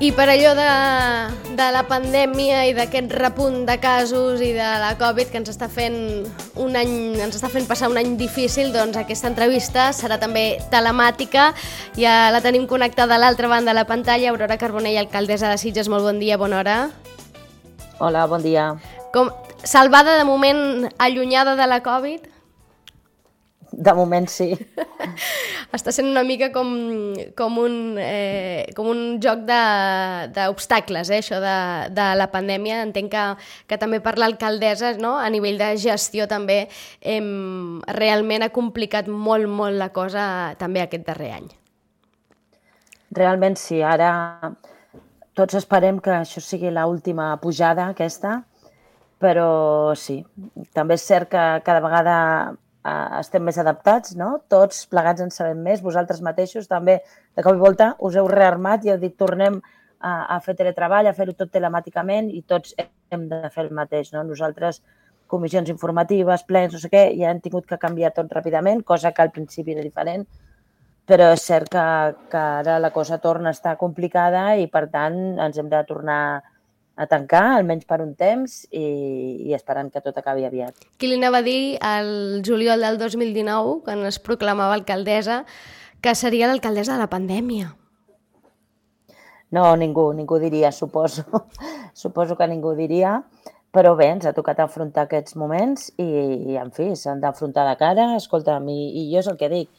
I per allò de la pandèmia i d'aquest repunt de casos i de la Covid que ens està fent passar un any difícil, doncs aquesta entrevista serà també telemàtica. Ja la tenim connectada a l'altra banda de la pantalla. Aurora Carbonell, alcaldessa de Sitges, molt bon dia, bona hora. Hola, bon dia. Salvada de moment, allunyada de la Covid? De moment sí. Està sent una mica com un joc d'obstacles, això de la pandèmia. Entenc que també per l'alcaldessa, no? A nivell de gestió també realment ha complicat molt la cosa també aquest darrer any. Realment sí, ara tots esperem que això sigui l'última pujada aquesta, però sí, també és cert que cada vegada estem més adaptats, no? Tots plegats en sabem més, vosaltres mateixos també de cop i volta us heu rearmat i heu dit tornem a fer teletreball, a fer-ho tot telemàticament i tots hem de fer el mateix, no? Nosaltres, comissions informatives, plens, no sé què, ja hem tingut que canviar tot ràpidament, cosa que al principi era diferent, però és cert que ara la cosa torna a estar complicada i per tant ens hem de tornar a tancar, almenys per un temps, i esperant que tot acabi aviat. Qui li anava a dir el juliol del 2019, quan es proclamava alcaldessa, que seria l'alcaldessa de la pandèmia? No, ningú diria, suposo. Suposo que ningú diria, però bé, ens ha tocat afrontar aquests moments i en fi, s'han d'afrontar de cara. Escolta'm, i jo és el que dic,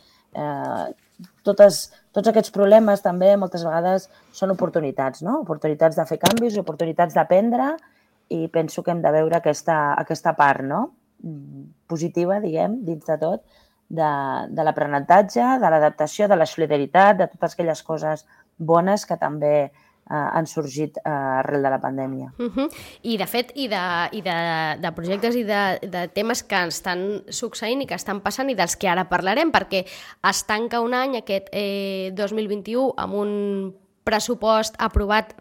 tots aquests problemes també moltes vegades són oportunitats, no? Oportunitats de fer canvis, oportunitats d'aprendre, i penso que hem de veure aquesta part, no? Positiva, diguem, dins de tot, de l'aprenentatge, de l'adaptació, de la solidaritat, de totes aquelles coses bones que també han sorgit arrel de la pandèmia. I de fet, i de projectes i de temes que estan succeint i que estan passant i dels que ara parlarem, perquè es tanca un any, aquest 2021, amb un pressupost aprovat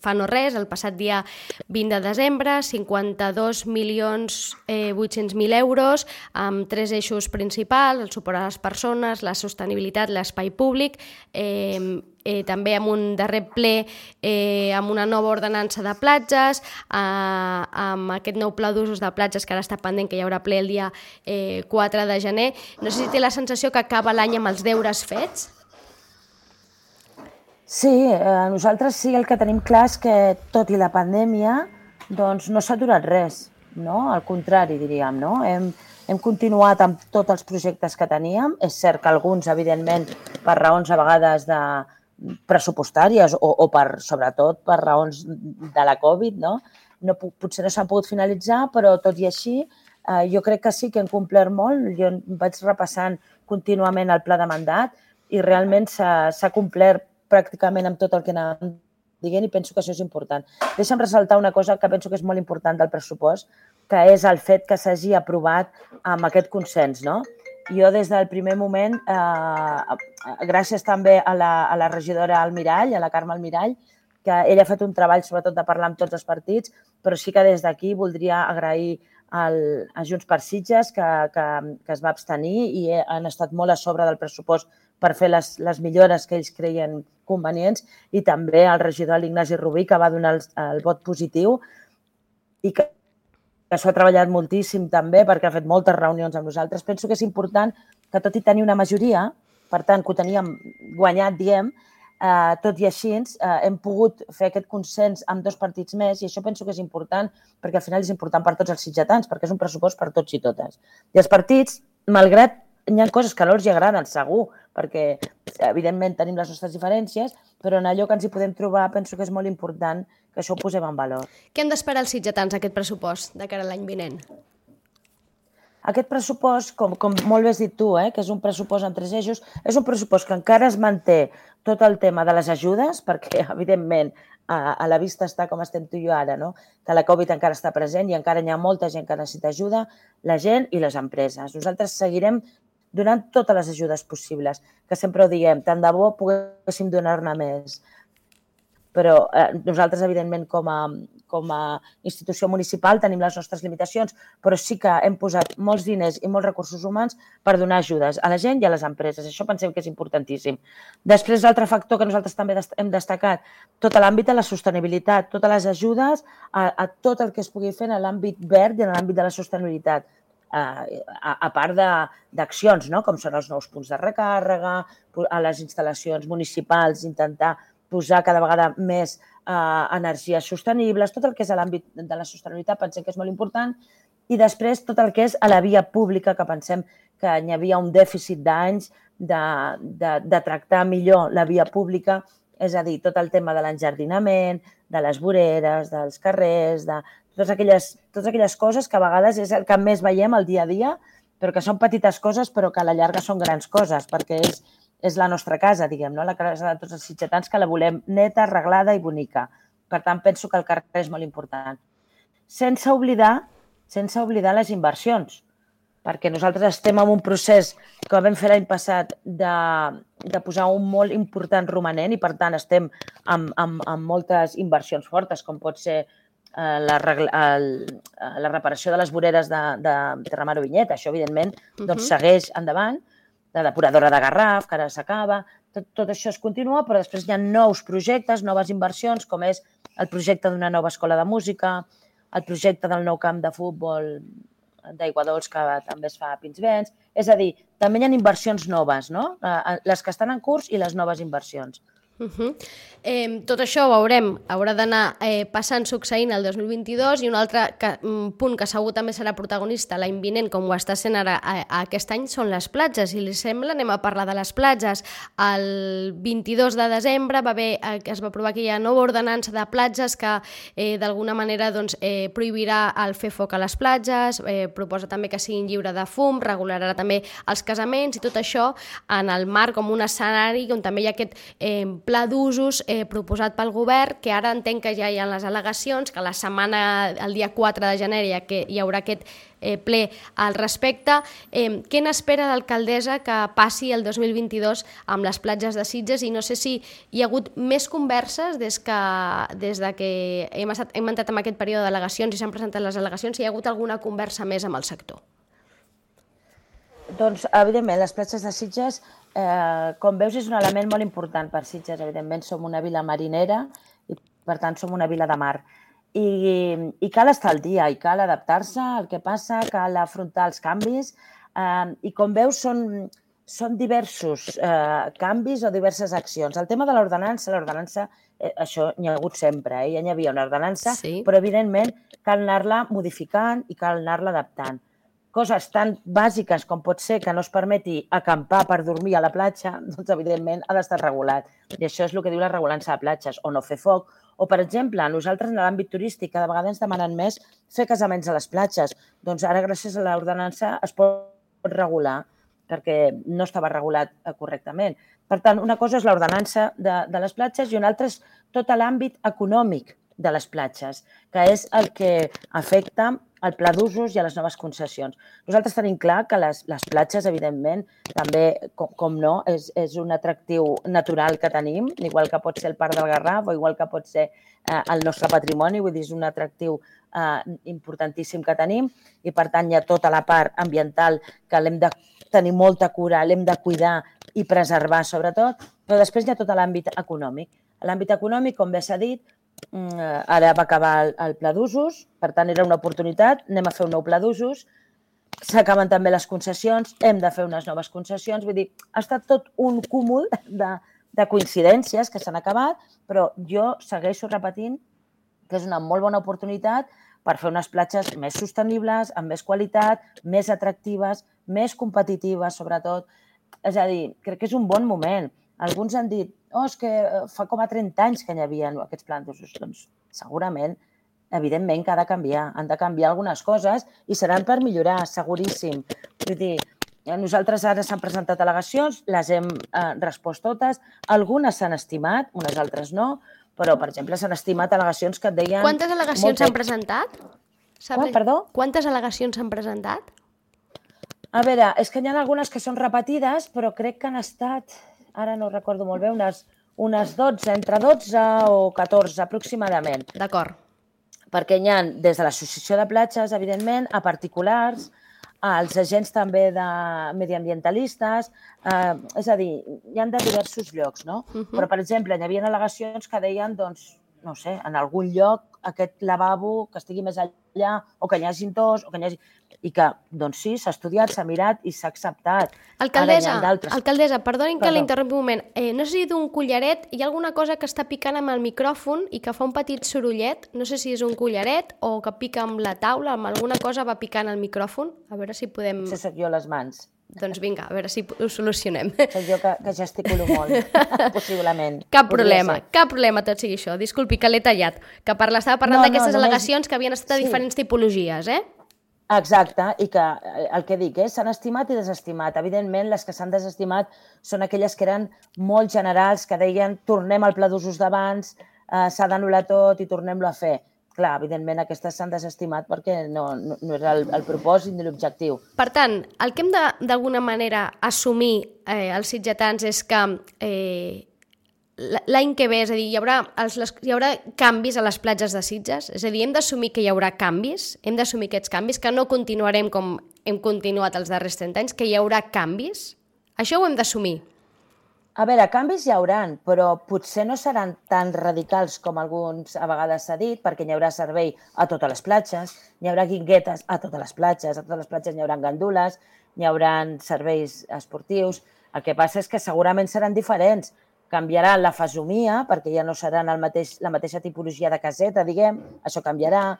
fa no res, el passat dia 20 de desembre, 52.800.000 euros, amb 3 eixos principals, el suport a les persones, la sostenibilitat, l'espai públic, també amb un darrer ple amb una nova ordenança de platges, amb aquest nou pla d'usos de platges que ara està pendent, que hi haurà ple el dia 4 de gener. No sé si té la sensació que acaba l'any amb els deures fets? Sí, nosaltres sí, el que tenim clar és que tot i la pandèmia doncs no s'ha aturat res, no? Al contrari, diríem, no? Hem continuat amb tots els projectes que teníem. És cert que alguns, evidentment, per raons a vegades pressupostàries o sobretot per raons de la Covid, no? Potser no s'han pogut finalitzar, però tot i així jo crec que sí que hem complert molt. Jo vaig repassant contínuament el pla de mandat i realment s'ha complert pràcticament amb tot el que anàvem dient i penso que això és important. Deixa'm ressaltar una cosa que penso que és molt important del pressupost, que és el fet que s'hagi aprovat amb aquest consens, no? Jo des del primer moment, gràcies també a la regidora Almirall, a la Carme Almirall, que ella ha fet un treball sobretot de parlar amb tots els partits, però sí que des d'aquí voldria agrair a Junts per Sitges que es va abstenir i han estat molt a sobre del pressupost per fer les millores que ells creien convenients, i també al regidor l'Ignasi Rubí, que va donar el vot positiu i que s'ho ha treballat moltíssim també perquè ha fet moltes reunions amb nosaltres. Penso que és important que, tot i tenir una majoria, per tant, que ho teníem guanyat, diem, tot i així hem pogut fer aquest consens amb 2 partits més, i això penso que és important perquè al final és important per tots els sitgetans, perquè és un pressupost per tots i totes. I els partits, malgrat hi ha coses que no els agraden, segur, perquè evidentment tenim les nostres diferències, però en allò que ens hi podem trobar penso que és molt important que això ho posem en valor. Què hem d'esperar els sitgetans, aquest pressupost, de cara a l'any vinent? Aquest pressupost, com molt bé has dit tu, que és un pressupost en 3 eixos, és un pressupost que encara es manté tot el tema de les ajudes, perquè evidentment a la vista està com estem tu i jo ara, no? Que la Covid encara està present i encara hi ha molta gent que necessita ajuda, la gent i les empreses. Nosaltres seguirem donant totes les ajudes possibles, que sempre ho diem, tant de bo poguéssim donar-ne més. però nosaltres, evidentment, com a institució municipal tenim les nostres limitacions, però sí que hem posat molts diners i molts recursos humans per donar ajudes a la gent i a les empreses. Això pensem que és importantíssim. Després, l'altre factor que nosaltres també hem destacat, tot l'àmbit de la sostenibilitat, totes les ajudes a tot el que es pugui fer en l'àmbit verd i en l'àmbit de la sostenibilitat. A part d'accions, no? Com són els nous punts de recàrrega, a les instal·lacions municipals, intentar posar cada vegada més energies sostenibles, tot el que és a l'àmbit de la sostenibilitat pensem que és molt important, i després tot el que és a la via pública, que pensem que hi havia un dèficit d'anys de tractar millor la via pública, és a dir, tot el tema de l'enjardinament, de les voreres, dels carrers, de totes aquelles coses que a vegades és el que més veiem al dia a dia, però que són petites coses però que a la llarga són grans coses, perquè és la nostra casa, diguem, no? La casa de tots els sitgetans, que la volem neta, arreglada i bonica. Per tant, penso que el carrer és molt important. Sense oblidar les inversions, perquè nosaltres estem en un procés que vam fer l'any passat de posar un molt important romanent i, per tant, estem amb moltes inversions fortes, com pot ser la reparació de les voreres de Terramar o Vinyet. Això, evidentment, segueix endavant. La depuradora de Garraf, que ara s'acaba, tot això es continua, però després hi ha nous projectes, noves inversions, com és el projecte d'una nova escola de música, el projecte del nou camp de futbol d'Aiguadols, que també es fa a Pinsbens. És a dir, també hi ha inversions noves, no? Les que estan en curs i les noves inversions. Tot això ho veurem, haurà d'anar passant, succeint el 2022, i un altre punt que segur també serà protagonista l'any vinent, com ho està sent ara aquest any, són les platges. Si li sembla, anem a parlar de les platges. El 22 de desembre es va aprovar aquella nova ordenança de platges que d'alguna manera prohibirà el fer foc a les platges, proposa també que siguin lliure de fum, regularà també els casaments, i tot això en el marc com un escenari on també hi ha aquest pla d'usos proposat pel govern, que ara entenc que ja hi ha les al·legacions, que la setmana, el dia 4 de gener, hi haurà aquest ple al respecte. Què n'espera l'alcaldessa que passi el 2022 amb les platges de Sitges? I no sé si hi ha hagut més converses des que hem entrat en aquest període d'al·legacions i s'han presentat les al·legacions, si hi ha hagut alguna conversa més amb el sector. Doncs, evidentment, les platges de Sitges, com veus, és un element molt important per Sitges. Evidentment, som una vila marinera i, per tant, som una vila de mar. I cal estar al dia, i cal adaptar-se al que passa, cal afrontar els canvis. I, com veus, són diversos canvis o diverses accions. El tema de l'ordenança, això n'hi ha hagut sempre, ja n'hi havia una ordenança, sí, però, evidentment, cal anar-la modificant i cal anar-la adaptant. Coses tan bàsiques com pot ser que no es permeti acampar per dormir a la platja, doncs, evidentment, ha d'estar regulat. I això és el que diu la regulança de platges, o no fer foc. O, per exemple, nosaltres en l'àmbit turístic cada vegada ens demanen més fer casaments a les platges. Doncs ara, gràcies a l'ordenança, es pot regular, perquè no estava regulat correctament. Per tant, una cosa és l'ordenança de les platges i una altra és tot l'àmbit econòmic de les platges, que és el que afecta al pla d'usos i a les noves concessions. Nosaltres tenim clar que les platges, evidentment, també, com no, és un atractiu natural que tenim, igual que pot ser el Parc del Garraf o igual que pot ser el nostre patrimoni, vull dir, és un atractiu importantíssim que tenim i, per tant, hi ha tota la part ambiental que l'hem de tenir molta cura, l'hem de cuidar i preservar, sobretot, però després hi ha tot l'àmbit econòmic. L'àmbit econòmic, com bé s'ha dit, ara va acabar el pla d'usos, per tant era una oportunitat, anem a fer un nou pla d'usos, s'acaben també les concessions, hem de fer unes noves concessions, vull dir, ha estat tot un cúmul de coincidències que s'han acabat, però jo segueixo repetint que és una molt bona oportunitat per fer unes platges més sostenibles, amb més qualitat, més atractives, més competitives, sobretot. És a dir, crec que és un bon moment. Alguns han dit, és que fa com a 30 anys que hi havia aquests plans d'usos. Doncs segurament, evidentment, que ha de canviar. Han de canviar algunes coses i seran per millorar, seguríssim. Vull dir, nosaltres ara s'han presentat al·legacions, les hem respost totes. Algunes s'han estimat, unes altres no, però, per exemple, s'han estimat al·legacions que et deien... Quantes al·legacions s'han presentat? Perdó? Quantes al·legacions s'han presentat? A veure, és que hi ha algunes que són repetides, però crec que han estat... Ara no recordo molt bé, unes 12, entre 12 o 14 aproximadament. D'acord. Perquè hi ha des de l'associació de platges, evidentment, a particulars, als agents també de mediambientalistes, és a dir, hi ha de diversos llocs, no? Però, per exemple, hi havia al·legacions que deien, doncs, no sé, en algun lloc aquest lavabo que estigui més allà, o que n'hi hagi dos, o que n'hi hagi... I que, doncs sí, s'ha estudiat, s'ha mirat i s'ha acceptat. Alcaldessa, perdonin que l'interrompi un moment. No sé si d'un collaret hi ha alguna cosa que està picant amb el micròfon i que fa un petit sorollet. No sé si és un collaret o que pica amb la taula, amb alguna cosa va picant el micròfon. A veure si podem... Això soc jo les mans. Doncs vinga, a veure si ho solucionem. Soc jo que gesticulo molt, possiblement. Cap problema, tot sigui això. Disculpi, que l'he tallat. Que estava parlant d'aquestes al·legacions que havien estat de diferents tipologies, eh? Exacte, i que el que dic, s'han estimat i desestimat. Evidentment, les que s'han desestimat són aquelles que eren molt generals, que deien tornem al pla d'usos d'abans, s'ha d'anul·lar tot i tornem-lo a fer. Clar, evidentment, aquestes s'han desestimat perquè no era el propòsit ni l'objectiu. Per tant, el que hem d'alguna manera assumir els sitgetans és que l'any que ve, és a dir, hi haurà canvis a les platges de Sitges? És a dir, hem d'assumir que hi haurà canvis? Hem d'assumir aquests canvis? Que no continuarem com hem continuat els darrers 30 anys? Que hi haurà canvis? Això ho hem d'assumir. A veure, canvis hi hauran, però potser no seran tan radicals com alguns a vegades s'ha dit, perquè hi haurà servei a totes les platges, hi haurà guinguetes a totes les platges hi haurà gandules, hi haurà serveis esportius. El que passa és que segurament seran diferents. Canviarà la fesomia, perquè ja no seran la mateixa tipologia de caseta, diguem, això canviarà.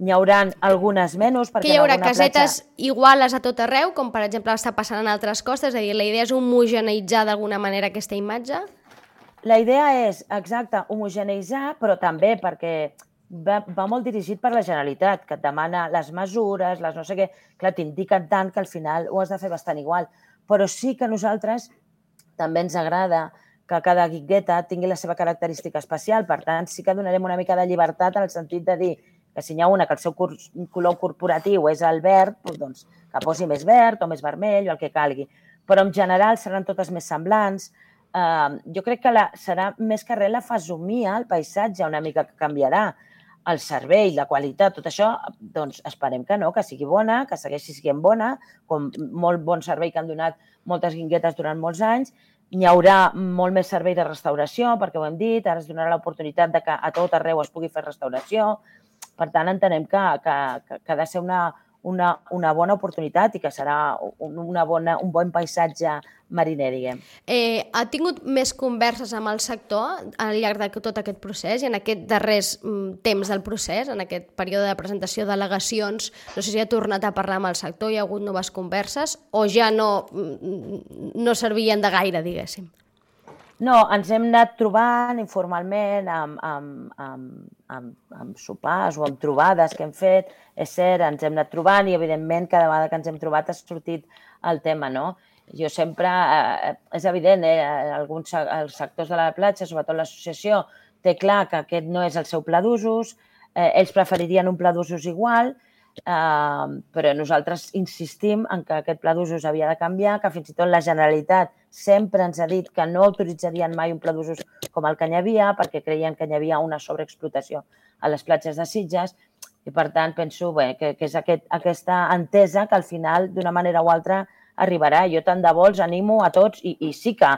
N'hi haurà algunes menys. Que hi haurà casetes iguales a tot arreu, com per exemple està passant en altres costes, és a dir, la idea és homogeneïtzar d'alguna manera aquesta imatge? La idea és, exacte, homogeneïtzar, però també perquè va molt dirigit per la Generalitat, que et demana les mesures, les no sé què, clar, t'indiquen tant que al final ho has de fer bastant igual. Però sí que a nosaltres també ens agrada que cada guingueta tingui la seva característica especial, per tant, sí que donarem una mica de llibertat en el sentit de dir que si n'hi ha una que el seu color corporatiu és el verd, doncs que posi més verd o més vermell o el que calgui. Però en general seran totes més semblants. Jo crec que serà més que res la fesomia, el paisatge una mica que canviarà. El servei, la qualitat, tot això, doncs esperem que no, que sigui bona, que segueixi sent bona, com molt bon servei que han donat moltes guinguetes durant molts anys. N'hi haurà molt més servei de restauració, perquè ho hem dit, ara es donarà l'oportunitat que a tot arreu es pugui fer restauració. Per tant, entenem que ha de ser una bona oportunitat i que serà un bon paisatge mariner, diguem. Ha tingut més converses amb el sector al llarg de tot aquest procés i en aquest darrers temps del procés, en aquest període de presentació d'al·legacions, no sé si ha tornat a parlar amb el sector, hi ha hagut noves converses o ja no servien de gaire, diguéssim? No, ens hem anat trobant informalment amb sopars o amb trobades que hem fet. És cert, ens hem anat trobant i, evidentment, cada vegada que ens hem trobat ha sortit el tema, no? Jo sempre, és evident, els sectors de la platja, sobretot l'associació, té clar que aquest no és el seu pla d'usos, ells preferirien un pla d'usos igual, però nosaltres insistim en que aquest pla d'usos havia de canviar, que fins i tot la Generalitat sempre ens ha dit que no autoritzarien mai un pla d'usos com el que hi havia, perquè creien que hi havia una sobreexplotació a les platges de Sitges, i per tant penso que és aquesta entesa que al final, d'una manera o altra, arribarà. Jo tant de bo els animo a tots, i sí que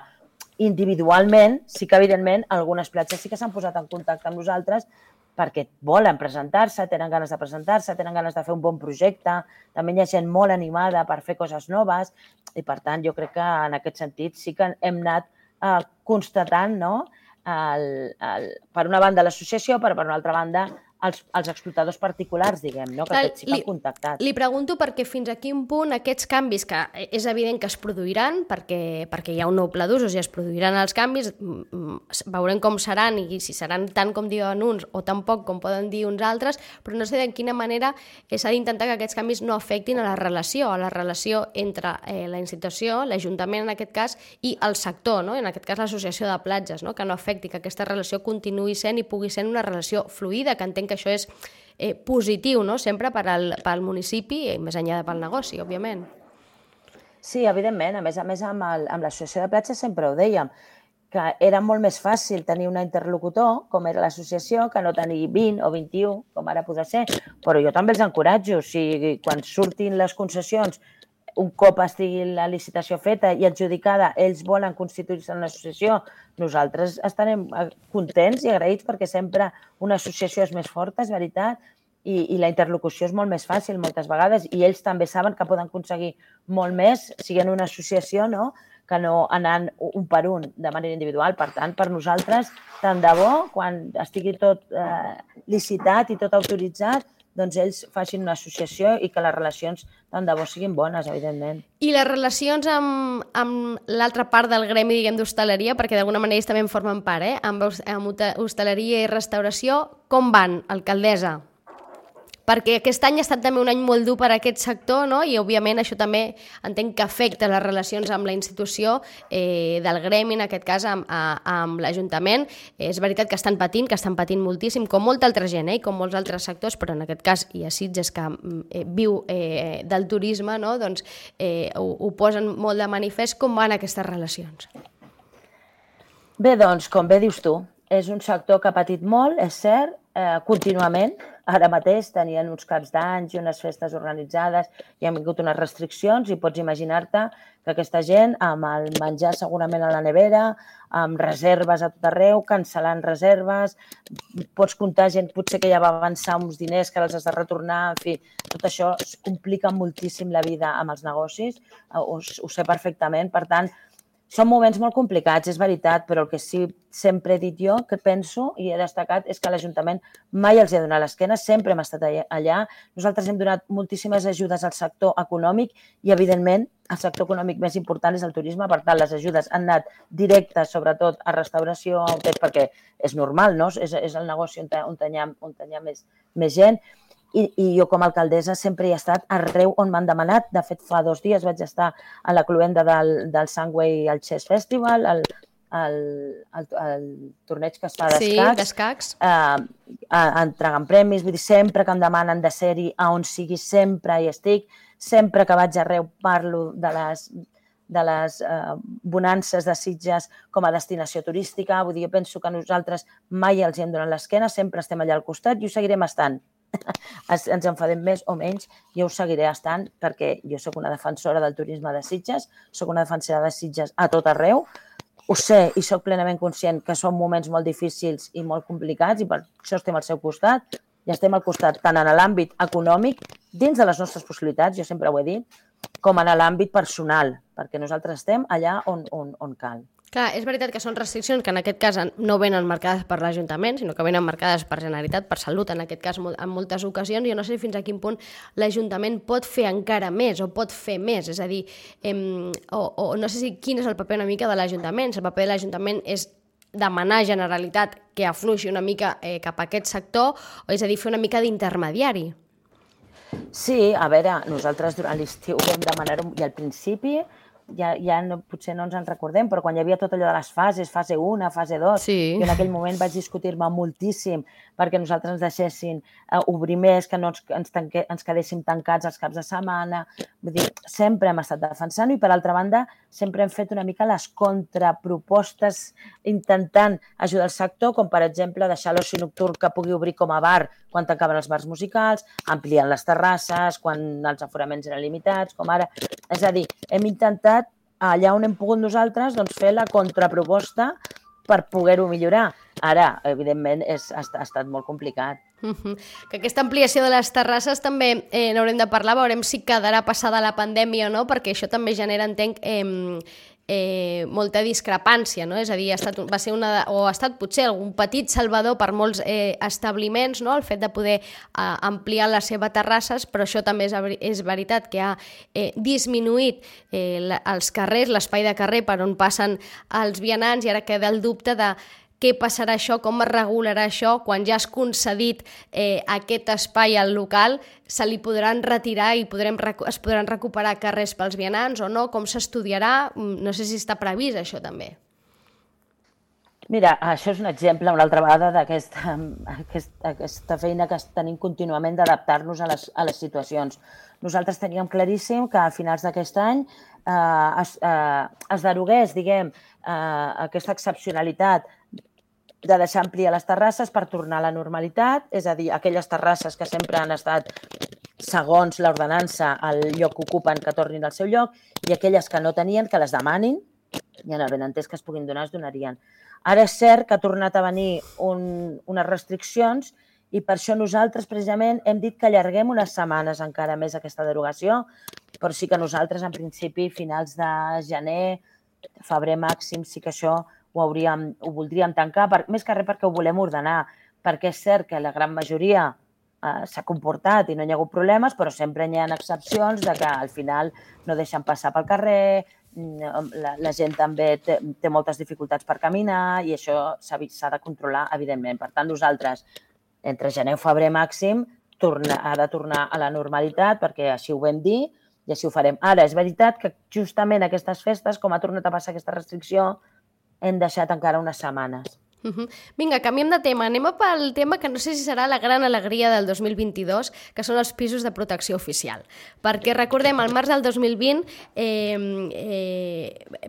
individualment, sí que evidentment algunes platges sí que s'han posat en contacte amb nosaltres perquè volen presentar-se, tenen ganes de presentar-se, tenen ganes de fer un bon projecte, també hi ha gent molt animada per fer coses noves i, per tant, jo crec que en aquest sentit sí que hem anat constatant, no?, per una banda l'associació, però per una altra banda els explotadors particulars, diguem, no?, que aquests sí que han contactat. Li pregunto perquè fins a quin punt aquests canvis, que és evident que es produiran, perquè hi ha un nou pla d'usos i es produiran els canvis, veurem com seran i si seran tant com diuen uns o tan poc com poden dir uns altres, però no sé de quina manera s'ha d'intentar que aquests canvis no afectin a la relació entre la institució, l'Ajuntament en aquest cas, i el sector, no?, en aquest cas l'associació de platges, no?, que no afecti, que aquesta relació continuï sent i pugui ser una relació fluida, que entenc que això és positiu, no?, sempre pel municipi i més enllà pel negoci, òbviament. Sí, evidentment. A més amb l'associació de platges sempre ho dèiem, que era molt més fàcil tenir un interlocutor, com era l'associació, que no tenir 20 o 21, com ara podrà ser. Però jo també els encoratjo. O sigui, quan surtin les concessions, un cop estigui la licitació feta i adjudicada, ells volen constituir-se en una associació, nosaltres estarem contents i agraïts perquè sempre una associació és més forta, és veritat, i la interlocució és molt més fàcil moltes vegades i ells també saben que poden aconseguir molt més siguent una associació, no?, que no anant un per un de manera individual. Per tant, per nosaltres, tant de bo, quan estigui tot licitat i tot autoritzat, doncs ells facin una associació i que les relacions tant de bo siguin bones, evidentment. I les relacions amb l'altra part del gremi, diguem, d'hostaleria, perquè d'alguna manera ells també en formen part, amb hostaleria i restauració, com van, alcaldessa? Perquè aquest any ha estat també un any molt dur per a aquest sector, no? I òbviament això també entenc que afecta les relacions amb la institució del gremi, en aquest cas amb l'Ajuntament. És veritat que estan patint moltíssim, com molta altra gent i com molts altres sectors, però en aquest cas i a Sitges, que viu del turisme, no? Doncs ho posen molt de manifest. Com van aquestes relacions? Bé, doncs, com bé dius tu, és un sector que ha patit molt, és cert, contínuament. Ara mateix tenien uns caps d'any i unes festes organitzades i han vingut unes restriccions i pots imaginar-te que aquesta gent, amb el menjar segurament a la nevera, amb reserves a tot arreu, cancel·lant reserves, pots comptar gent potser que ja va avançar uns diners que els has de retornar, en fi, tot això complica moltíssim la vida amb els negocis, ho sé perfectament, per tant, són moments molt complicats, és veritat, però el que sí sempre he dit jo, que penso i he destacat, és que l'Ajuntament mai els ha donat l'esquena, sempre hem estat allà. Nosaltres hem donat moltíssimes ajudes al sector econòmic i, evidentment, el sector econòmic més important és el turisme, per tant, les ajudes han anat directes, sobretot, a restauració, a hotels, perquè és normal, no? És el negoci on hi ha més gent. I jo com a alcaldessa sempre hi he estat arreu on m'han demanat. De fet, fa 2 dies vaig estar a la cluenda del Sunway al Chess Festival, el torneig que es fa d'escacs, entregant premis. Vull dir, sempre que em demanen de ser-hi a on sigui, sempre hi estic. Sempre que vaig arreu parlo de les bonances de Sitges com a destinació turística. Vull dir, jo penso que nosaltres mai els hem donat l'esquena, sempre estem allà al costat i ho seguirem estant. Ens enfadem més o menys, jo ho seguiré estant perquè jo sóc una defensora del turisme de Sitges, sóc una defensora de Sitges a tot arreu, ho sé i sóc plenament conscient que són moments molt difícils i molt complicats i per això estem al seu costat i estem al costat tant en l'àmbit econòmic, dins de les nostres possibilitats, jo sempre ho he dit, com en l'àmbit personal, perquè nosaltres estem allà on cal. Clar, és veritat que són restriccions que en aquest cas no venen marcades per l'Ajuntament, sinó que venen marcades per Generalitat, per Salut, en aquest cas en moltes ocasions. Jo no sé fins a quin punt l'Ajuntament pot fer encara més o pot fer més, és a dir, o no sé quin és el paper una mica de l'Ajuntament, si el paper de l'Ajuntament és demanar a Generalitat que afluixi una mica cap a aquest sector, o és a dir, fer una mica d'intermediari. Sí, a veure, nosaltres durant l'estiu vam demanar-ho i al principi potser no ens en recordem, però quan hi havia tot allò de les fases, fase 1, fase 2, sí. Jo en aquell moment vaig discutir-me moltíssim perquè nosaltres ens deixessin obrir més, que no ens quedéssim tancats els caps de setmana. Vull dir, sempre hem estat defensant i, per altra banda, sempre hem fet una mica les contrapropostes intentant ajudar el sector, com per exemple deixar l'oci nocturn que pugui obrir com a bar quan tancaven els bars musicals, ampliant les terrasses, quan els aforaments eren limitats, com ara. És a dir, hem intentat, allà on hem pogut nosaltres, doncs, fer la contraproposta per poder-ho millorar. Ara, evidentment, ha estat molt complicat. Que aquesta ampliació de les terrasses també n'haurem de parlar, veurem si quedarà passada la pandèmia o no, perquè això també genera, entenc, molta discrepància, no? És a dir, ha estat potser algun petit salvador per molts establiments, no? El fet de poder ampliar les seves terrasses, però això també és veritat que ha disminuït els carrers, l'espai de carrer per on passen els vianants, i ara queda el dubte de què passarà això, com es regularà això, quan ja has concedit aquest espai al local, se li podran retirar i es podran recuperar carrers pels vianants o no, com s'estudiarà, no sé si està previst això també. Mira, això és un exemple, una altra vegada, d'aquesta feina que tenim contínuament d'adaptar-nos a les situacions. Nosaltres teníem claríssim que a finals d'aquest any es derogués, diguem, aquesta excepcionalitat de deixar ampliar les terrasses per tornar a la normalitat, és a dir, aquelles terrasses que sempre han estat, segons l'ordenança, el lloc que ocupen, que tornin al seu lloc, i aquelles que no tenien, que les demanin, i en el benentès que es puguin donar, es donarien. Ara és cert que ha tornat a venir unes restriccions i per això nosaltres, precisament, hem dit que allarguem unes setmanes encara més aquesta derogació, però sí que nosaltres, en principi, finals de gener, febrer màxim, sí que això ho voldríem tancar, més que res perquè ho volem ordenar, perquè és cert que la gran majoria s'ha comportat i no hi ha hagut problemes, però sempre hi ha excepcions de que al final no deixen passar pel carrer, la gent també té moltes dificultats per caminar i això s'ha de controlar, evidentment. Per tant, nosaltres, entre gener i febrer màxim, ha de tornar a la normalitat, perquè així ho vam dir i així ho farem. Ara, és veritat que justament aquestes festes, com ha tornat a passar aquesta restricció, hem deixat encara unes setmanes. Vinga, canviem de tema. Anem pel tema que no sé si serà la gran alegria del 2022, que són els pisos de protecció oficial. Perquè recordem, al març del 2020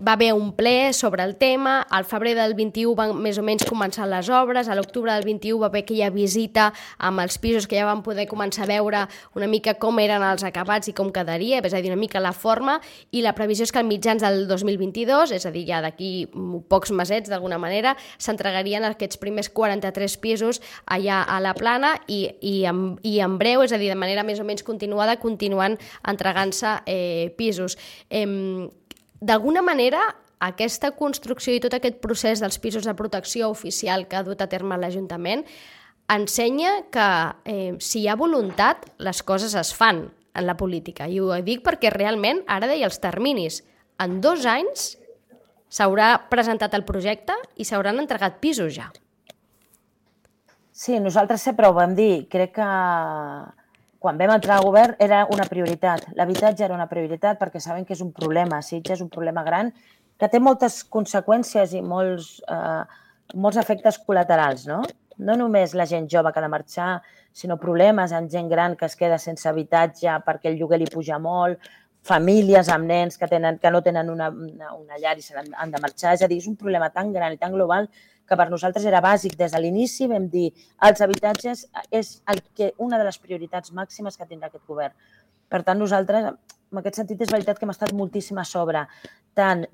va haver un ple sobre el tema, al febrer del 21 van més o menys començar les obres, a l'octubre del 21 va haver aquella visita amb els pisos que ja van poder començar a veure una mica com eren els acabats i com quedaria, és a dir, una mica la forma, i la previsió és que als mitjans del 2022, és a dir, ja d'aquí pocs mesets d'alguna manera, s'entregarien aquests primers 43 pisos allà a la Plana i en breu, és a dir, de manera més o menys continuada, continuen entregant-se pisos. D'alguna manera, aquesta construcció i tot aquest procés dels pisos de protecció oficial que ha dut a terme l'Ajuntament ensenya que si hi ha voluntat, les coses es fan en la política. I ho dic perquè realment, ara deia els terminis, en 2 anys s'haurà presentat el projecte i s'hauran entregat pisos ja. Sí, nosaltres sempre ho vam dir. Crec que quan vam entrar al govern era una prioritat. L'habitatge era una prioritat perquè saben que és un problema. Sitges és un problema gran que té moltes conseqüències i molts efectes col·laterals, no? No només la gent jove que ha de marxar, sinó problemes amb gent gran que es queda sense habitatge perquè el lloguer li puja molt, famílies amb nens que no tenen una llar i han de marxar. És a dir, és un problema tan gran i tan global que per nosaltres era bàsic. Des de l'inici vam dir els habitatges és una de les prioritats màximes que tindrà aquest govern. Per tant, nosaltres, en aquest sentit, és veritat que hem estat moltíssim a sobre, tant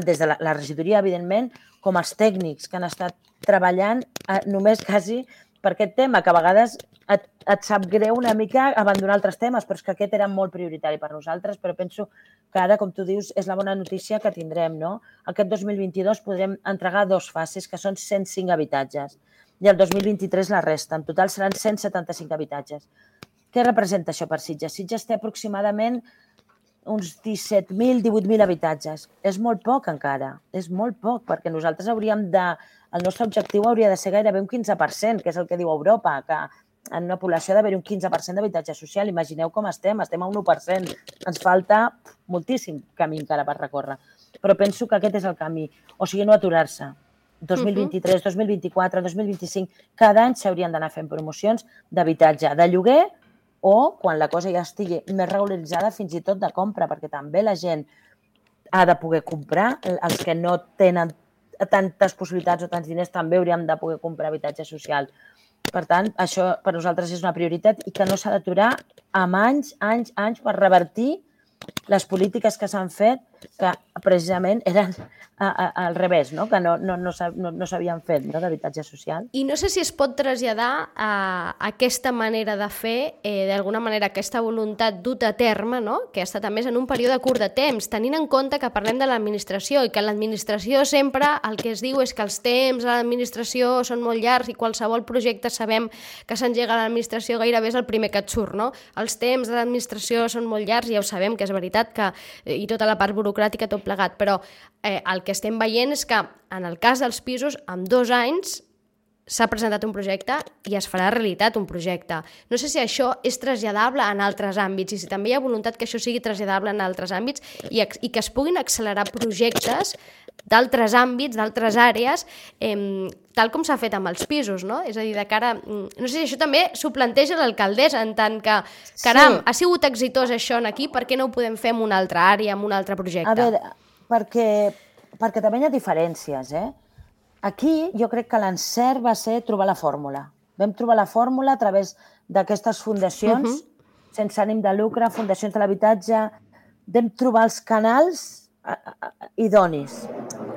des de la regidoria, evidentment, com els tècnics que han estat treballant només quasi per aquest tema, que a vegades et sap greu una mica abandonar altres temes, però és que aquest era molt prioritari per nosaltres, però penso que ara, com tu dius, és la bona notícia que tindrem, no? Aquest 2022 podrem entregar 2 fases, que són 105 habitatges, i el 2023 la resta. En total seran 175 habitatges. Què representa això per Sitges? Sitges té aproximadament uns 17.000, 18.000 habitatges. És molt poc encara, és molt poc, perquè nosaltres el nostre objectiu hauria de ser gairebé un 15%, que és el que diu Europa, que en una població ha d'haver un 15% d'habitatge social. Imagineu com estem a un 1%. Ens falta moltíssim camí encara per recórrer. Però penso que aquest és el camí. O sigui, no aturar-se. 2023, 2024, 2025, cada any s'haurien d'anar fent promocions d'habitatge de lloguer o, quan la cosa ja estigui més regularitzada, fins i tot de compra, perquè també la gent ha de poder comprar. Els que no tenen tantes possibilitats o tants diners també hauríem de poder comprar habitatge social. Per tant, això per nosaltres és una prioritat i que no s'ha d'aturar amb anys per revertir les polítiques que s'han fet que precisament eren al revés, no? Que no s'havien fet, no? D'habitatge social. I no sé si es pot traslladar a aquesta manera de fer, d'alguna manera aquesta voluntat duta a terme, no? Que ha estat a més en un període curt de temps, tenint en compte que parlem de l'administració i que l'administració sempre el que es diu és que els temps a l'administració són molt llargs i qualsevol projecte sabem que s'engega a l'administració gairebé és el primer que et surt, no? Els temps de l'administració són molt llargs i ja ho sabem, que és veritat, i tota la part burocràtica, tot plegat, però el que estem veient és que en el cas dels pisos, en 2 anys s'ha presentat un projecte i es farà realitat un projecte. No sé si això és traslladable en altres àmbits i si també hi ha voluntat que això sigui traslladable en altres àmbits i que es puguin accelerar projectes d'altres àmbits, d'altres àrees, tal com s'ha fet amb els pisos, no? És a dir, de cara... No sé si això també s'ho planteja l'alcaldessa, en tant que, caram, ha sigut exitós això aquí, per què no ho podem fer en una altra àrea, en un altre projecte? A veure, perquè també hi ha diferències, Aquí jo crec que l'encert va ser trobar la fórmula. Vam trobar la fórmula a través d'aquestes fundacions, sense ànim de lucre, fundacions de l'habitatge, vam trobar els canals idonis.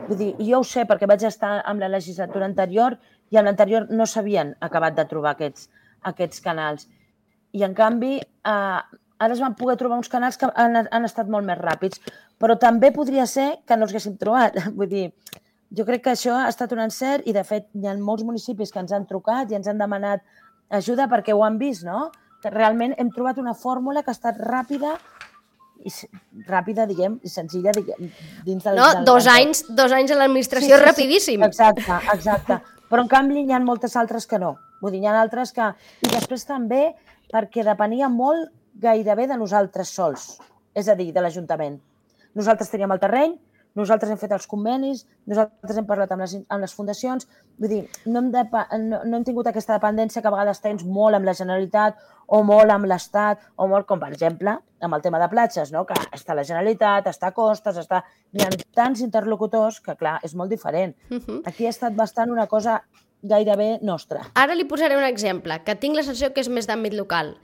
Vull dir, jo ho sé perquè vaig estar amb la legislatura anterior i amb l'anterior no s'havien acabat de trobar aquests canals. I, en canvi, ara es van poder trobar uns canals que han estat molt més ràpids, però també podria ser que no els haguéssim trobat. Vull dir, jo crec que això ha estat un encert i, de fet, hi ha molts municipis que ens han trucat i ens han demanat ajuda perquè ho han vist, no? Que realment hem trobat una fórmula que ha estat ràpida, diguem, i senzilla, diguem, dins del... No, 2 anys a l'administració és rapidíssim. Exacte. Però, en canvi, hi ha moltes altres que no. Vull dir, hi ha altres que... I després també perquè depenia molt gairebé de nosaltres sols, és a dir, de l'Ajuntament. Nosaltres teníem el terreny, nosaltres hem fet els convenis, nosaltres hem parlat amb les fundacions, vull dir, no hem tingut aquesta dependència que a vegades tens molt amb la Generalitat o molt amb l'Estat, o molt, com per exemple, amb el tema de platges, no? Que està la Generalitat, està Costes, hi ha tants interlocutors que, clar, és molt diferent. Aquí ha estat bastant una cosa gairebé nostra. Ara li posaré un exemple, que tinc la sensació que és més d'àmbit local.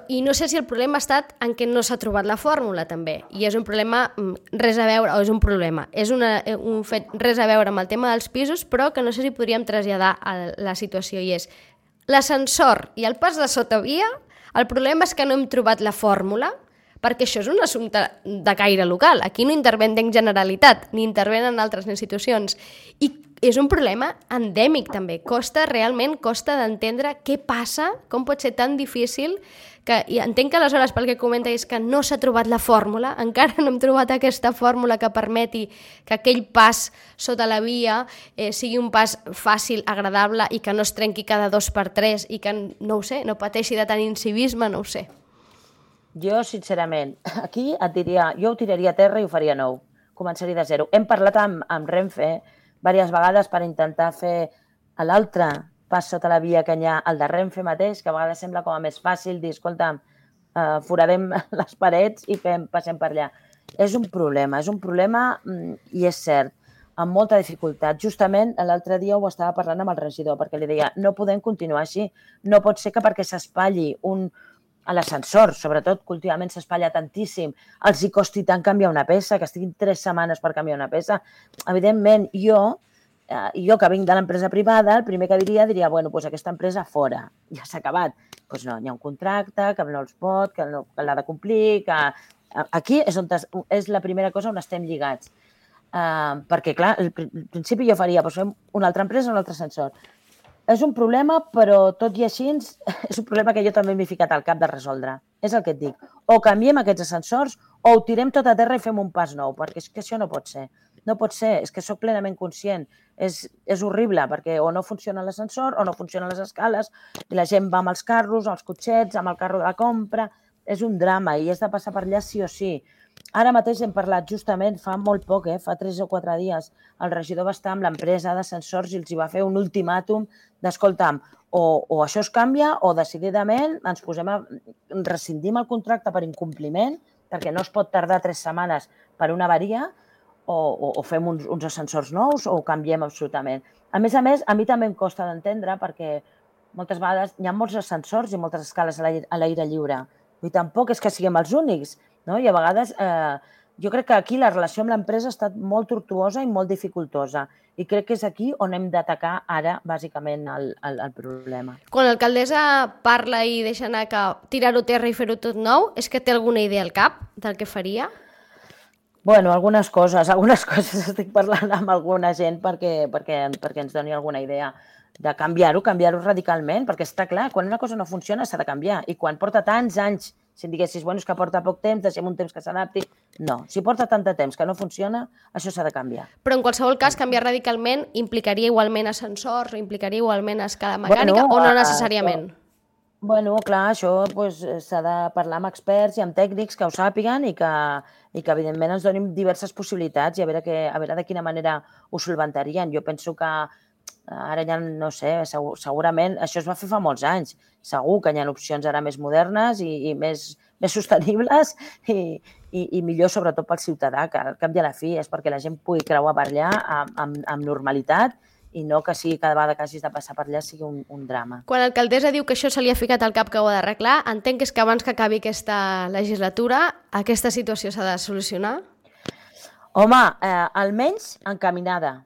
I no sé si el problema ha estat en què no s'ha trobat la fórmula, també. I és un problema res a veure, o és un problema, és un fet res a veure amb el tema dels pisos, però que no sé si podríem traslladar a la situació, i és l'ascensor i el pas de sotavia, el problema és que no hem trobat la fórmula, perquè això és un assumpte de caire local. Aquí no interven en Generalitat, ni intervenen altres institucions. I és un problema endèmic, també. Costa d'entendre què passa, com pot ser tan difícil, i entenc que aleshores, pel que comenta, és que no s'ha trobat la fórmula, encara no hem trobat aquesta fórmula que permeti que aquell pas sota la via sigui un pas fàcil, agradable, i que no es trenqui cada 2x3 i que, no ho sé, no pateixi de tant incivisme, no ho sé. Jo, sincerament, aquí et diria, jo ho tiraria a terra i ho faria nou. Començaria de zero. Hem parlat amb Renfe diverses vegades per intentar fer l'altre pas sota la via que hi ha, el de Renfe mateix, que a vegades sembla com a més fàcil dir, escolta, foradem les parets i passem per allà. És un problema i és cert, amb molta dificultat. Justament l'altre dia ho estava parlant amb el regidor, perquè li deia, no podem continuar així, no pot ser que perquè s'espatlli a l'ascensor, sobretot, que últimament s'espatlla tantíssim, els hi costi tant canviar una peça, que estiguin 3 setmanes per canviar una peça. Evidentment, jo que vinc de l'empresa privada, el primer que diria, bueno, doncs aquesta empresa fora, ja s'ha acabat. Doncs no, hi ha un contracte que no els pot, que l'ha de complir, que... Aquí és la primera cosa on estem lligats. Perquè, clar, al principi jo faria, doncs fem una altra empresa, un altre ascensor. És un problema, però tot i així és un problema que jo també m'he ficat al cap de resoldre. És el que et dic. O canviem aquests ascensors o ho tirem tot a terra i fem un pas nou, perquè és que això no pot ser. No pot ser, és que sóc plenament conscient. És horrible, perquè o no funciona l'ascensor o no funcionen les escales i la gent va amb els carros, els cotxets, amb el carro de la compra. És un drama i has de passar per allà sí o sí. Ara mateix hem parlat justament, fa molt poc, fa 3 o 4 dies, el regidor va estar amb l'empresa d'ascensors i els hi va fer un ultimàtum d'escolta'm, o això es canvia o decididament ens posem rescindim el contracte per incompliment, perquè no es pot tardar 3 setmanes per una avaria, o fem uns ascensors nous o ho canviem absolutament. A més, a mi també em costa d'entendre perquè moltes vegades hi ha molts ascensors i moltes escales a l'aire lliure. I tampoc és que siguem els únics, no? I a vegades jo crec que aquí la relació amb l'empresa ha estat molt tortuosa i molt dificultosa. I crec que és aquí on hem d'atacar ara, bàsicament, el problema. Quan l'alcaldessa parla i deixa anar que tirar-ho a terra i fer-ho tot nou, és que té alguna idea al cap del que faria? Bueno, algunes coses estic parlant amb alguna gent perquè ens doni alguna idea de canviar-ho radicalment, perquè està clar, quan una cosa no funciona s'ha de canviar, i quan porta tants anys Si em diguessis, bueno, és que porta poc temps, deixem un temps que s'adapti... No, si porta tant de temps que no funciona, això s'ha de canviar. Però en qualsevol cas, canviar radicalment implicaria igualment ascensors, implicaria igualment escala mecànica o no necessàriament? Bueno, clar, això s'ha de parlar amb experts i amb tècnics que ho sàpiguen i que evidentment ens donin diverses possibilitats i a veure de quina manera ho solventarien. Jo penso que ara ja, no sé, segurament això es va fer fa molts anys. Segur que hi ha opcions ara més modernes i més sostenibles i millor sobretot pel ciutadà, que al cap i a la fi és perquè la gent pugui creuar per allà amb normalitat i no que sigui cada vegada que hagis de passar per allà sigui un drama. Quan l'alcaldessa diu que això se li ha ficat al cap que ho ha d'arreglar, entenc que és que abans que acabi aquesta legislatura aquesta situació s'ha de solucionar? Home, almenys encaminada.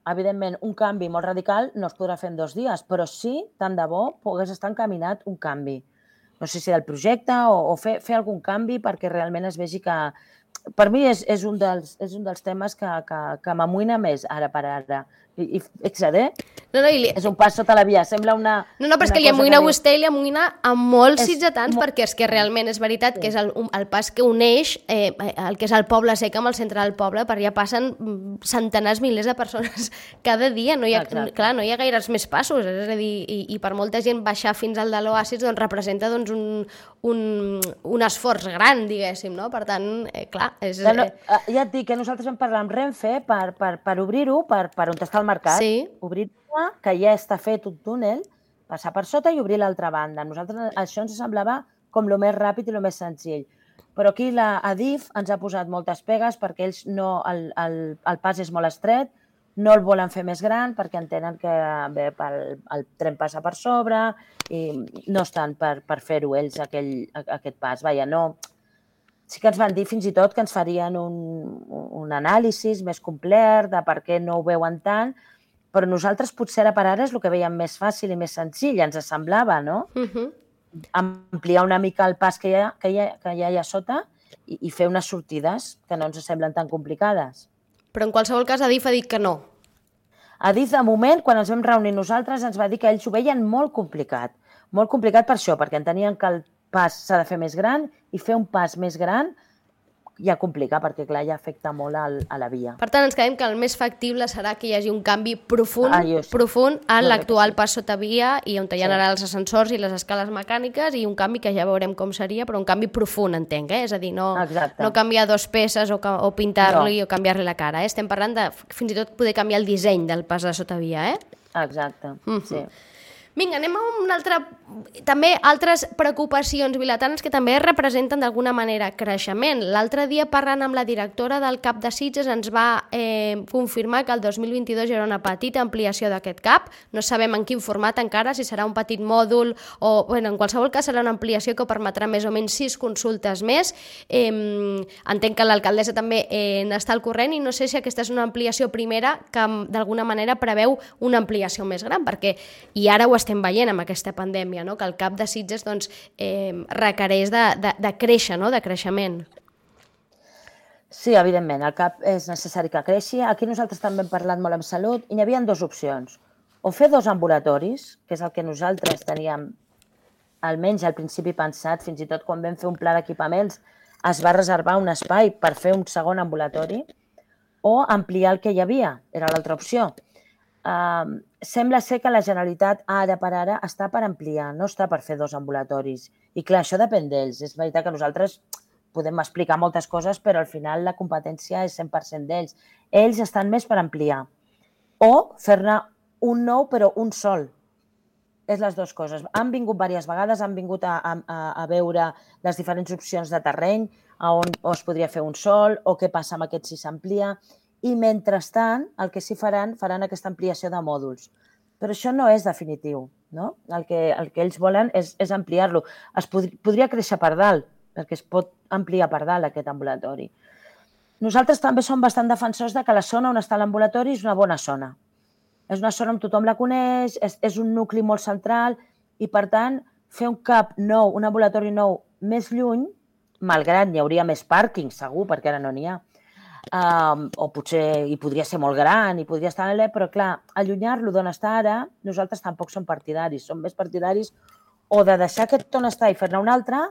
Evidentment, un canvi molt radical no es podrà fer en 2 dies, però sí, tant de bo, pogués estar encaminat un canvi. No sé si del projecte o fer algun canvi perquè realment es vegi que... Per mi és un dels temes que m'amoïna més ara per ara. I fixa't, és un pas sota la via, sembla una... No, però és que li amoïna a vostè i li amoïna a molts ciutadans perquè és que realment és veritat que és el pas que uneix el que és el poble sec amb el centre del poble, per allà passen centenars, milers de persones cada dia, no hi ha gaires més passos, és a dir, i per molta gent baixar fins al de l'Oasis doncs representa un esforç gran, diguéssim, no? Per tant, clar... Ja et dic que nosaltres vam parlar amb Renfe per obrir-ho, per on està el mercat, obrir-ho, que ja està fet un túnel, passar per sota i obrir l'altra banda. A nosaltres això ens semblava com el més ràpid i el més senzill. Però aquí l'Adif ens ha posat moltes pegues perquè ells el pas és molt estret, no el volen fer més gran perquè entenen que el tren passa per sobre i no estan per fer-ho ells aquest pas. Vaja, no... Sí que ens van dir fins i tot que ens farien un anàlisi més complet de per què no ho veuen tant, però nosaltres potser ara per ara és el que veiem més fàcil i més senzill, ens semblava, no? Ampliar una mica el pas que hi ha allà sota i fer unes sortides que no ens semblen tan complicades. Però en qualsevol cas Adif ha dit que no. Adif, de moment, quan ens vam reunir nosaltres, ens va dir que ells ho veien molt complicat. Molt complicat per això, perquè entenien que el pas s'ha de fer més gran i fer un pas més gran ja complica, perquè clar, ja afecta molt a la via. Per tant, ens quedem que el més factible serà que hi hagi un canvi profund en l'actual pas sota via i on hi ha ara els ascensors i les escales mecàniques i un canvi que ja veurem com seria, però un canvi profund, entenc, És a dir, no canviar 2 peces o pintar-li o canviar-li la cara, Estem parlant de fins i tot poder canviar el disseny del pas de sota via, Exacte, sí. Vinga, anem a una altra... També altres preocupacions vilatans que també representen d'alguna manera creixement. L'altre dia, parlant amb la directora del CAP de Sitges, ens va confirmar que el 2022 hi haurà una petita ampliació d'aquest CAP. No sabem en quin format encara, si serà un petit mòdul o... Bueno, en qualsevol cas serà una ampliació que permetrà més o menys 6 consultes més. Entenc que l'alcaldessa també n'està al corrent i no sé si aquesta és una ampliació primera que d'alguna manera preveu una ampliació més gran, perquè i ara ho estem veient amb aquesta pandèmia, que el CAP de Sitges requereix de créixer, de creixement. Sí, evidentment, el CAP és necessari que creixi. Aquí nosaltres també hem parlat molt amb salut i hi havia 2 opcions. O fer 2 ambulatoris, que és el que nosaltres teníem almenys al principi pensat, fins i tot quan vam fer un pla d'equipaments es va reservar un espai per fer un segon ambulatori, o ampliar el que hi havia, era l'altra opció. Sembla ser que la Generalitat ara per ara està per ampliar, no està per fer 2 ambulatoris. I clar, això depèn d'ells. És veritat que nosaltres podem explicar moltes coses, però al final la competència és 100% d'ells. Ells estan més per ampliar. O fer-ne un nou, però un sol. És les 2 coses. Han vingut diverses vegades, han vingut a veure les diferents opcions de terreny, on es podria fer un sol, o què passa amb aquest si s'amplia. I mentrestant, el que sí faran aquesta ampliació de mòduls. Però això no és definitiu, no? El que ells volen és ampliar-lo. Es podria créixer per dalt, perquè es pot ampliar per dalt aquest ambulatori. Nosaltres també som bastant defensors de que la zona on està l'ambulatori és una bona zona. És una zona on tothom la coneix, és un nucli molt central i, per tant, fer un CAP nou, un ambulatori nou més lluny, malgrat n'hi hauria més pàrquings, segur, perquè ara no n'hi ha, o potser hi podria ser molt gran i podria estar en l'E, però clar, allunyar-lo d'on està ara, nosaltres tampoc som partidaris, som més partidaris o de deixar aquest on està i fer-ne un altre,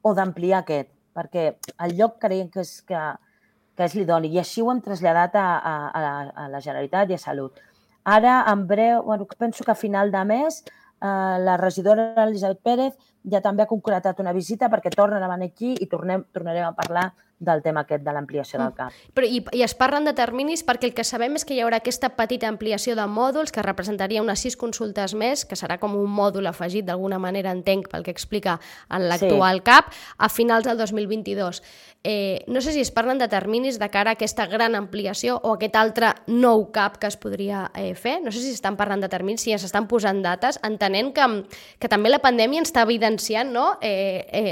o d'ampliar aquest, perquè el lloc creiem que és l'idoni, i així ho hem traslladat a la Generalitat i a Salut. Ara, en breu, penso que a final de mes, la regidora Elisabet Pérez ja també ha concretat una visita perquè tornen a venir aquí i tornarem a parlar del tema aquest de l'ampliació del CAP. Però, i es parlen de terminis perquè el que sabem és que hi haurà aquesta petita ampliació de mòduls que representaria unes 6 consultes més, que serà com un mòdul afegit d'alguna manera, entenc, pel que explica en l'actual CAP, a finals del 2022. No sé si es parlen de terminis de cara a aquesta gran ampliació o aquest altre nou CAP que es podria fer. No sé si estan parlant de terminis, si ja s'estan posant dates, entenent que també la pandèmia ens està evidenciant, no?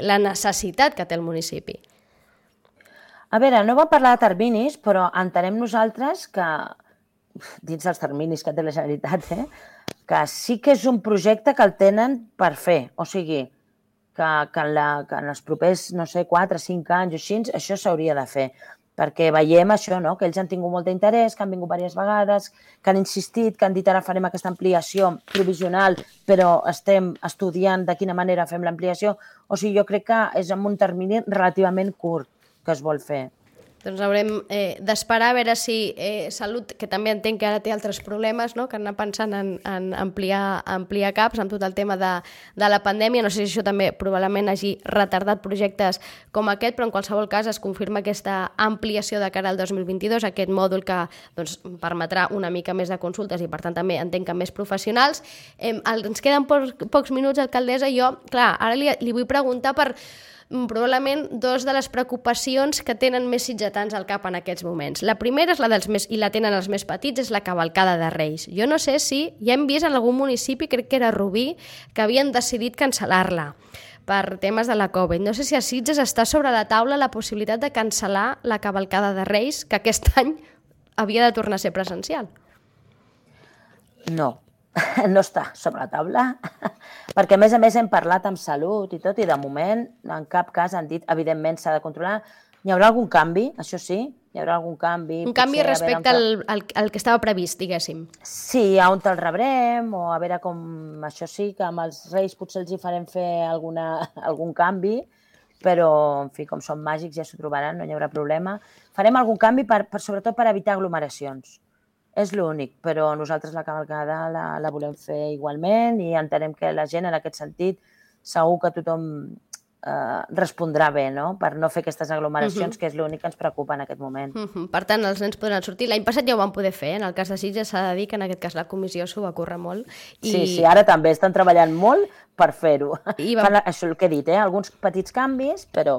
La necessitat que té el municipi. A veure, no vam parlar de terminis, però entenem nosaltres que, dins dels terminis que té la Generalitat, que sí que és un projecte que el tenen per fer. O sigui, que en els propers, no sé, 4 o 5 anys o així, això s'hauria de fer. Perquè veiem això, no? Que ells han tingut molt d'interès, que han vingut diverses vegades, que han insistit, que han dit ara farem aquesta ampliació provisional, però estem estudiant de quina manera fem l'ampliació. O sigui, jo crec que és en un termini relativament curt que es vol fer. Doncs haurem d'esperar a veure si Salut, que també entenc que ara té altres problemes, no? Que anar pensant en ampliar CAPs amb tot el tema de la pandèmia. No sé si això també probablement hagi retardat projectes com aquest, però en qualsevol cas es confirma aquesta ampliació de cara al 2022, aquest mòdul que doncs, permetrà una mica més de consultes i per tant també entenc que més professionals. Ens queden pocs minuts, alcaldessa, i jo, clar, ara li vull preguntar per probablement 2 de les preocupacions que tenen més sitgetans al cap en aquests moments. La primera és la dels més, i la tenen els més petits, és la cavalcada de Reis. Jo no sé si ja hem vist en algun municipi, crec que era Rubí, que havien decidit cancel·lar-la per temes de la Covid. No sé si a Sitges està sobre la taula la possibilitat de cancel·lar la cavalcada de Reis, que aquest any havia de tornar a ser presencial. No. No està sobre la taula, perquè a més hem parlat amb Salut i tot, i de moment en cap cas han dit, evidentment s'ha de controlar. Hi haurà algun canvi, això sí, hi haurà algun canvi. Un canvi respecte al que estava previst, diguéssim. Sí, a on te'l rebrem, o a veure com, això sí, que amb els Reis potser els hi farem fer algun canvi, però, en fi, com són màgics ja s'ho trobaran, no hi haurà problema. Farem algun canvi sobretot per evitar aglomeracions. És l'únic, però nosaltres la cavalcada la volem fer igualment i entenem que la gent en aquest sentit segur que tothom respondrà bé, no? Per no fer aquestes aglomeracions, que és l'únic que ens preocupa en aquest moment. Per tant, els nens podran sortir. L'any passat ja ho van poder fer, en el cas de Sitges s'ha de dir que en aquest cas la comissió s'ho va córrer molt. Sí, ara també estan treballant molt per fer-ho. Això és el que he dit, alguns petits canvis, però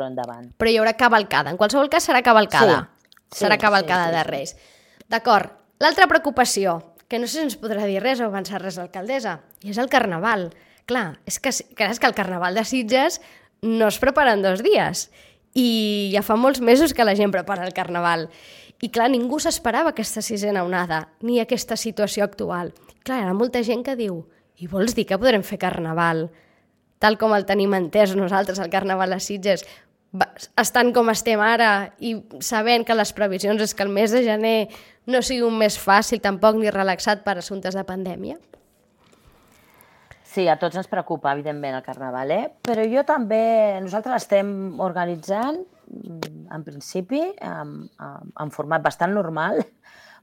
endavant. Però hi haurà cavalcada, en qualsevol cas serà cavalcada. Serà cavalcada de Reis. D'acord. L'altra preocupació, que no sé si ens podrà dir res o avançar res l'alcaldessa, i és el Carnaval. Clar, és que el Carnaval de Sitges no es prepara en 2 dies i ja fa molts mesos que la gent prepara el Carnaval. I clar, ningú s'esperava aquesta 6a onada, ni aquesta situació actual. Clar, hi ha molta gent que diu, i vols dir que podrem fer Carnaval tal com el tenim entès nosaltres, el Carnaval a Sitges, estant com estem ara i sabent que les previsions és que el mes de gener no sigui un mes fàcil tampoc ni relaxat per assumptes de pandèmia? Sí, a tots ens preocupa, evidentment, el Carnaval, però jo també, nosaltres l'estem organitzant, en principi, en format bastant normal,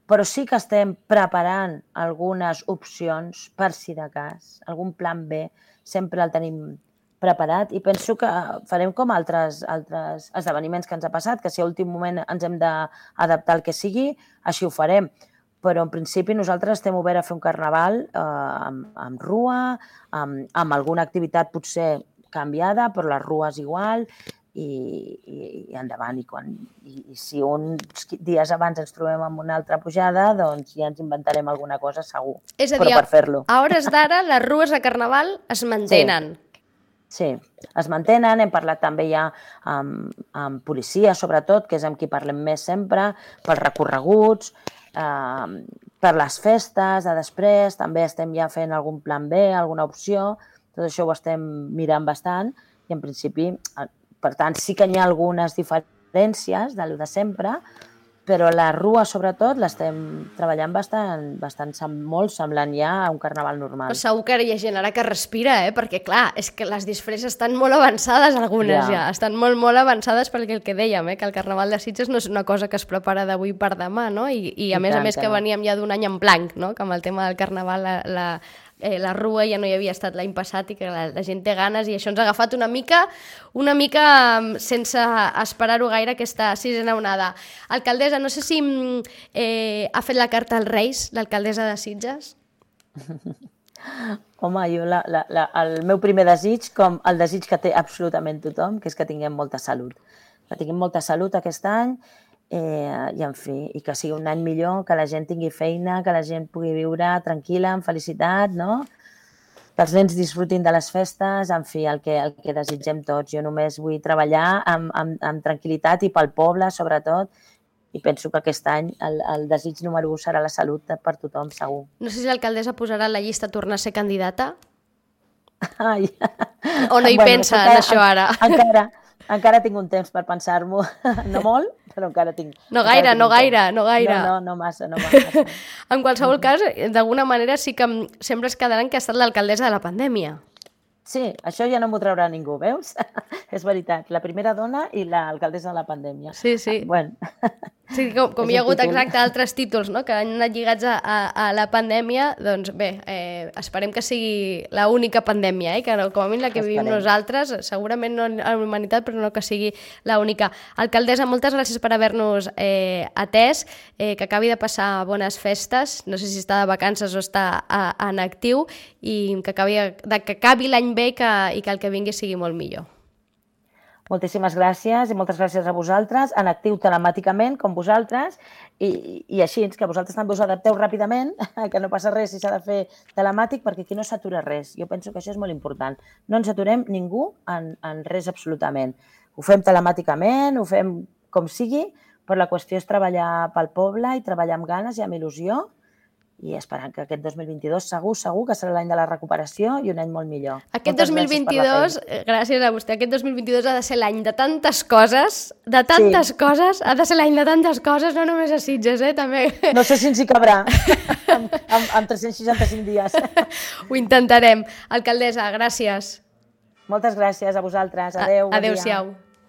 però sí que estem preparant algunes opcions per si de cas, algun plan B, sempre el tenim preparat i penso que farem com altres esdeveniments que ens ha passat, que si a últim moment ens hem d'adaptar al que sigui, així ho farem. Però en principi nosaltres estem oberts a fer un carnaval amb rua, amb alguna activitat potser canviada, però les rues igual, i endavant. I si uns dies abans ens trobem amb una altra pujada, doncs ja ens inventarem alguna cosa segur. És a dir, a hores d'ara les rues de carnaval es mantenen. Sí, es mantenen, hem parlat també ja amb policia, sobretot, que és amb qui parlem més sempre, pels recorreguts, per les festes de després, també estem ja fent algun plan B, alguna opció, tot això ho estem mirant bastant i en principi, per tant, sí que hi ha algunes diferències de lo de sempre, Però la rua, sobretot, l'estem treballant molt semblant ja a un carnaval normal. Però segur que hi ha gent ara que respira, perquè clar, és que les disfresses estan molt avançades, algunes ja. Estan molt, molt avançades perquè el que dèiem, que el carnaval de Sitges no és una cosa que es prepara d'avui per demà, no? I a més que veníem ja d'un any en blanc, no? Que amb el tema del carnaval la rua ja no hi havia estat l'any passat i que la gent té ganes i això ens ha agafat una mica sense esperar-ho gaire aquesta sisena onada. Alcaldessa, no sé si ha fet la carta als Reis, l'alcaldessa de Sitges? Home, jo el meu primer desig, com el desig que té absolutament tothom, que és que tinguem molta salut. Que tinguem molta salut aquest any i, en fi, i que sigui un any millor, que la gent tingui feina, que la gent pugui viure tranquil·la, amb felicitat, no? Que els nens disfrutin de les festes, en fi, el que desitgem tots. Jo només vull treballar amb tranquil·litat i pel poble, sobretot, i penso que aquest any el desig número 1 serà la salut per tothom, segur. No sé si l'alcaldessa posarà en la llista tornar a ser candidata? Ai. O no hi pensa en això ara? Encara tinc un temps per pensar-m'ho, no molt, però encara tinc. No gaire. No massa. En qualsevol cas, d'alguna manera sí que sempre es quedaran que ha estat l'alcaldessa de la pandèmia. Sí, això ja no m'ho traurà ningú, veus? És veritat, la primera dona i l'alcaldessa de la pandèmia. Sí. Bueno. Sí, com hi ha hagut exacte altres títols, no?, que han anat lligats a la pandèmia, doncs bé, esperem que sigui l'única pandèmia, que com a mínim la que vivim nosaltres, segurament no a la humanitat, però no que sigui l'única. Alcaldessa, moltes gràcies per haver-nos atès, que acabi de passar bones festes, no sé si està de vacances o està en actiu, i que acabi l'any bé i que el que vingui sigui molt millor. Moltíssimes gràcies i moltes gràcies a vosaltres, en actiu telemàticament, com vosaltres, i així, que vosaltres també us adapteu ràpidament, que no passa res si s'ha de fer telemàtic, perquè aquí no s'atura res. Jo penso que això és molt important. No ens aturem ningú en res absolutament. Ho fem telemàticament, ho fem com sigui, però la qüestió és treballar pel poble i treballar amb ganes i amb il·lusió, i esperant que aquest 2022 segur que serà l'any de la recuperació i un any molt millor. Aquest 2022, gràcies a vostè, aquest 2022 ha de ser l'any de tantes coses, ha de ser l'any de tantes coses, no només a Sitges, també. No sé si ens hi cabrà, amb 365 dies. Ho intentarem. Alcaldessa, gràcies. Moltes gràcies a vosaltres. Adéu. Adéu-siau.